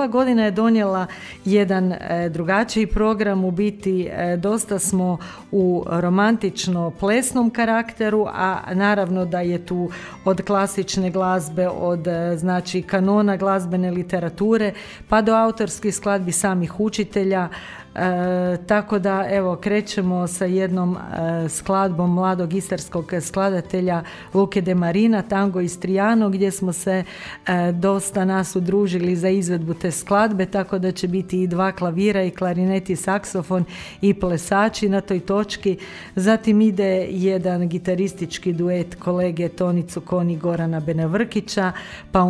ova godina je donijela jedan drugačiji program, u biti dosta smo u romantično plesnom karakteru, a naravno da je tu od klasične glazbe, od znači kanona glazbene literature pa do autorskih skladbi samih učitelja. Tako da evo krećemo sa jednom skladbom mladog istarskog skladatelja Luke De Marina, Tango Istriano, gdje smo se dosta nas udružili za izvedbu te skladbe, tako da će biti i 2 klavira i klarinet i saksofon i plesači na toj točki. Zatim ide jedan gitaristički duet kolege Toni Cukoni i Gorana Benevrkića, pa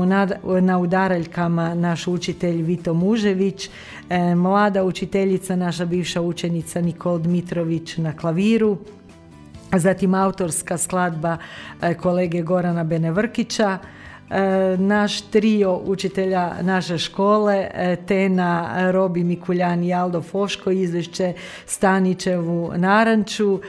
na udaraljkama naš učitelj Vito Mužević, mlada učiteljica, naša bivša učenica Nikol Dmitrović na klaviru, zatim autorska skladba kolege Gorana Benevrkića, naš trio učitelja naše škole, Tena, Robi Mikuljan i Aldo Foško, izvješće Stanićevu Naranču.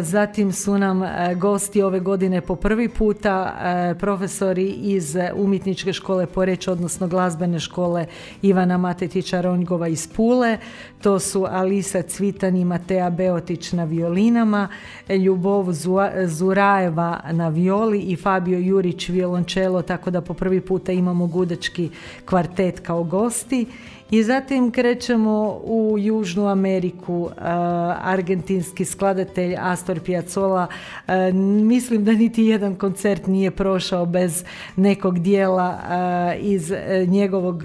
Zatim su nam gosti ove godine po prvi puta profesori iz umjetničke škole Poreč, odnosno glazbene škole Ivana Matetića Ronjgova iz Pule. To su Alisa Cvitan i Matea Beotić na violinama, Ljubov Zurajeva na violi i Fabio Jurić violončelo, tako da po prvi puta imamo gudački kvartet kao gosti. I zatim krećemo u Južnu Ameriku, argentinski skladatelj Astor Piazzolla. Mislim da niti jedan koncert nije prošao bez nekog dijela iz njegovog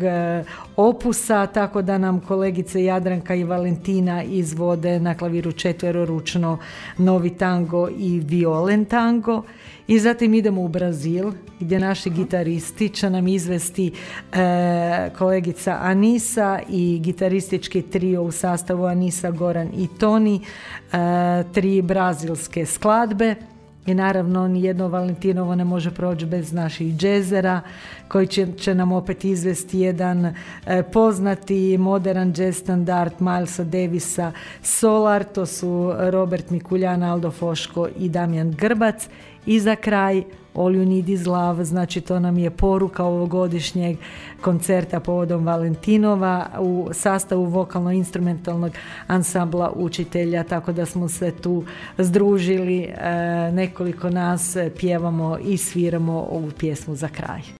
opusa, tako da nam kolegice Jadranka i Valentina izvode na klaviru četveroručno novi tango i violen tango. I zatim idemo u Brazil, gdje naši gitaristi će nam izvesti kolegica Anisa i gitaristički trio u sastavu Anisa, Goran i Toni, 3 brazilske skladbe. I naravno nijedno Valentinovo ne može proći bez naših džezera, koji će nam opet izvesti jedan poznati modern jazz standard Milesa Davisa Solar. To su Robert Mikuljan, Aldo Foško i Damjan Grbac. I za kraj All You Need Is Love, znači to nam je poruka ovogodišnjeg koncerta povodom Valentinova u sastavu vokalno-instrumentalnog ansambla učitelja, tako da smo se tu združili, nekoliko nas pjevamo i sviramo ovu pjesmu za kraj.